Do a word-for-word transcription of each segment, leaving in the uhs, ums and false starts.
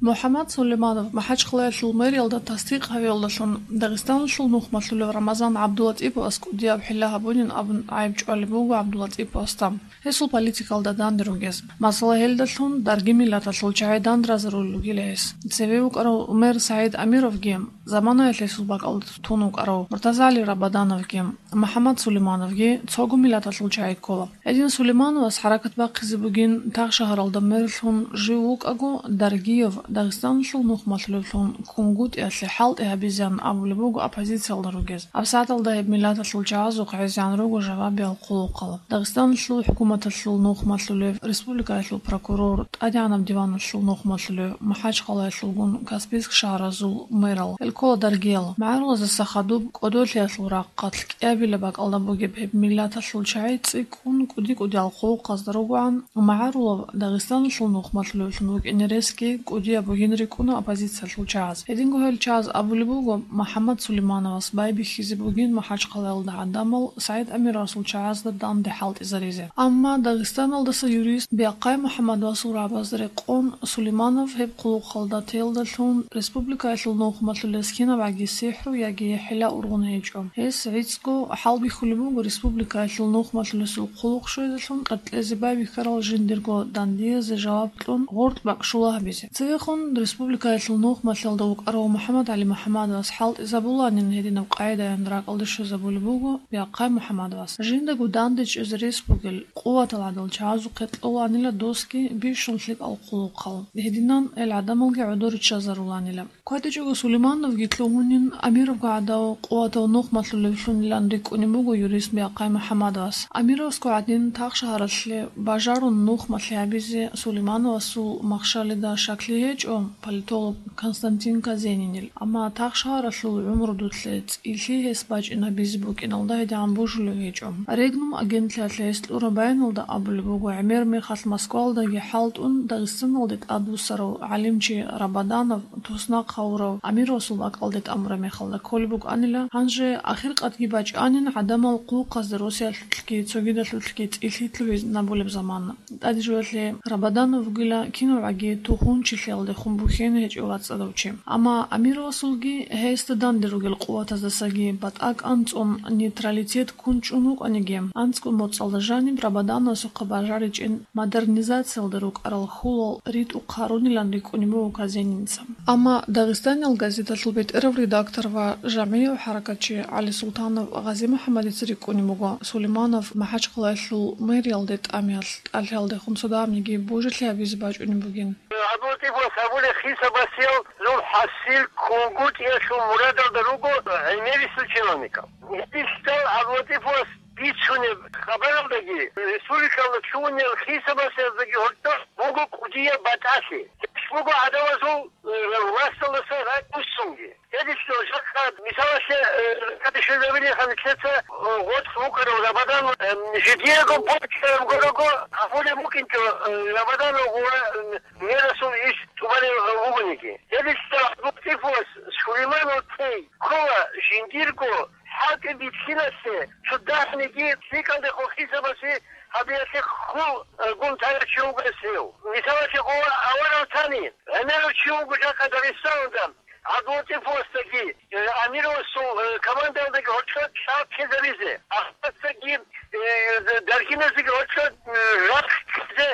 МухӀаммад Сулейманов МахӀачхъалаялъул мэриялда тасдикъ гьавиялдалъун Дагъистаналъул нухмалъулев Рамазан ГӀабдулатӀиповас кӀудияб хӀилла гьабунин абун гӀайиб чӀвалеб буго ГӀабдулатӀиповасда гьесул политикалда данде ругез. Масала, гьелдалъун дарги миллаталъул чагӀи дандаразарулел ругила гьес. Цеве вукӀарав мэр СагӀид Амировги, заманаялъ гьесул бакӀалда тун вукӀарав МуртазагӀали Рабадановги, МухӀаммад Сулеймановги цого миллаталъул чагӀи ккола. Гьедин Сулеймановас хӀаракат бахъизе бугин тагъ шагьаралда мерлъун жив вукӀаго, Даргиев Дагъистаналъул нухмалъулевлъун КунгутӀиялъе хӀалтӀи гьабизеян абулеб буго оппозициялда ругез. ГьабсагӀаталда гьеб миллаталъул чагӀазухъ гӀезегӀан руго жавабиял хъулухъал. Дагъистаналъул хӀукуматалъул нухмалъулев, республикаялъул прокурор, ТӀадегӀанаб диваналъул нухмалъулев, МахӀачхъалаялъулгун Каспийск шагьаразул мэрал, гьел ккола даргиял. МагӀарулаздаса хадуб кӀодолъиялъул рахъалъ кӀиабилеб бакӀалда бугеб гьеб миллаталъул чагӀи цӀикӀкӀун кӀуди-кӀудиял хъулухъазда ругоан, магӀарулав Дагъистаналъул нухмалъулевлъун вукӀине ресги кӀудияб бугин рикӀкӀуна оппозициялъул чагӀаз. Гьединго гьел чагӀаз абулеб буго, МухӀаммад Сулеймановас байбихьизе бугин МахӀачхъалаялда гӀадамал СагӀид Амировасул чагӀазда данде хӀалтӀизаризе. Амма Дагъистаналдаса юрист Биахъай МухӀаммадовасул рагӀабазда рекъон, Сулейманов гьеб хъулухъалда теялдалъун республикаялъул нухмалъулез кинабгӀаги сихӀру яги хӀила ургъун гьечӀо. Гьес гӀицӀго хӀалбихьулеб буго республикаялъул нухмалъулесул хъулухъ щвезелъун къеркьезе байбихьарал жиндирго дандиязе жаваб кьун гъоркь бакӀ щула гьабизе. Цевехун республикаялъул нухмалъалда вукӀарав МухӀаммадгӀали МухӀаммадовас хӀалтӀизабуланин гьединаб къагӀидаян ракӀалде щвезабулеб буго Биахъай МухӀаммадовас. Жиндаго данде чӀезе рес бугел, къуватал гӀадал чагӀазухъе кьоланила досги бищун лъикӀал хъулухъал. Гьединан гьел гӀадамалги гӀодор риччазаруланила. КватӀичӀого Сулеймановги лъугьунин, Амировго гӀадав къуватав нухмалъулевлъунилан рикӀкӀунеб буго юрист Биахъай МухӀаммадовас. Амировасго гӀадин тагъ шагьаралъе бажарун нухмалъи гьабизе Сулеймановасул махщалида щаклъи гьечӀо политолог Константин Казенинил, амма тагъ шагьаралъул гӀумрудулъе цӀилъи гьес бачӀинабизе букӀиналда гьедигӀан божулев гьечӀо. Регнум агентлъиялъе гьес кьураб баяналда абулеб буго, гӀемер мехалъ Москвалдаги хӀалтӀун, Дагъистаналде тӀадвуссарав гӀалимчи Рабаданов туснахъ гьавурав Амировасул бакӀалде тӀамураб мехалда кколеб букӀанила, гьанже ахиркъадги бачӀанин гӀадамал хъулухъазда росиялъулъги цогидалъулъги цӀилъи лъугьинабулеб замана. ТӀаде жоялъе Рабаданов вугила кинавгӀаги тухун-чилъиялдехун бухьине гьечӀев вацӀцӀадав чи. Амма Амировасулги гьесда данде ругел къуватаздасаги батӀакӀ анцӀун нейтралитет ккун чӀун вукӀаниги, анцӀго моцӀалда жаниб Рабадановасухъа бажаричӀин модернизациялда рукӀарал хьулал ритӀухъ гьарунилан рикӀкӀунеб буго Казенинца. Амма Дагъистаниял газеталъул бетӀерав редактор ва жагьмияв хӀаракатчи ГӀалисултанов ГъазимухӀаммадица рикӀкӀунеб буго Сулейманов МахӀачхъалаялъул мэриялде тӀамиялъ тӀалъиялдехун цо дагьабниги божилъи гьабизе бачӀунеб бугин. ГӀабдулатӀиповас абулеб хисабасел зул хӀасил КунгутӀиялъул мурадалда руго гӀемерисел чиновникал. Гьединлъидал ГӀабдулатӀиповас бицунеб хабаралдаги, республикалда лъугьунел хисабасездаги гьоркьоб буго кӀудияб батӀалъи. Гьелъ буго гӀадамазул, э, власталдаса ракӀ буссунги. Гьединлъидал жакъа, мисалалъе, э, ракӀалде щвезабилеб гьанже лъеца, э, гъоркь вукӀарав Рабадан, э, жидеего почтаем горого абулеб букӀинчӀо, э, Рабаданов ва, э, мерасул иш тӀубалев вугониги. Гьединлъидал ГӀабдулатӀиповас Сулейманов тей ккола жиндирго хӀалтӀи бихьиналъе, цо дагьабниги лъикӀалдехун хисабасе гьабиялъе хьул, э, гун тарав чи вуго гьев. Мисалалъе, къо аварагтани гӀемерав чи вуго жакъа Дагъистаналда, ГӀабдулатӀиповасдаги, э, Амировасул, э, командаялдаги гьоркьоб чӀал ккезаризе, Ахматдаги, э, Даргиназдаги гьоркьоб, э, рахъ ккезе,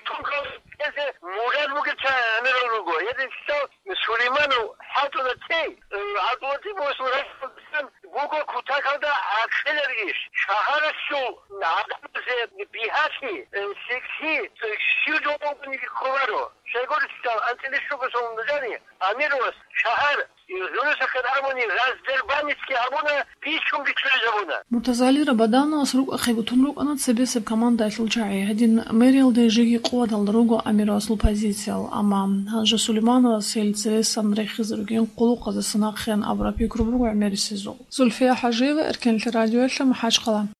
тункал ккезе мурад бугев чи гӀемерав руго. Гьединлъидал Сулейманов хӀалтӀула тей, э, ГӀабдулатӀиповасул рахъалдасан буго кутакалда гӀакъилаб иш. Шагьаралъул гӀадамазе бигьалъи, э, лъикӀлъи, э, щив жо бугониги кколаро. Щайгурелъул анцӀила щуго сон нужеда Амировас шагьар, э, гӀурусахъе абуни, раздербанить абуна, бичун-бичун гьабуна. МуртазагӀали Рабадановас рукӀахъе бутун рукӀана цебесеб командаялъул чагӀи. Гьедин мэриялде жеги къуваталда руго Амировасул позициял, амма гьанже Сулеймановас гьел цересан рехизе ругин къулухъаздаса нахъеян абураб пикру буго гӀемерисезул. Зульфия ХӀажиева, Эркенлъи радиоялъ, МахӀачхъала.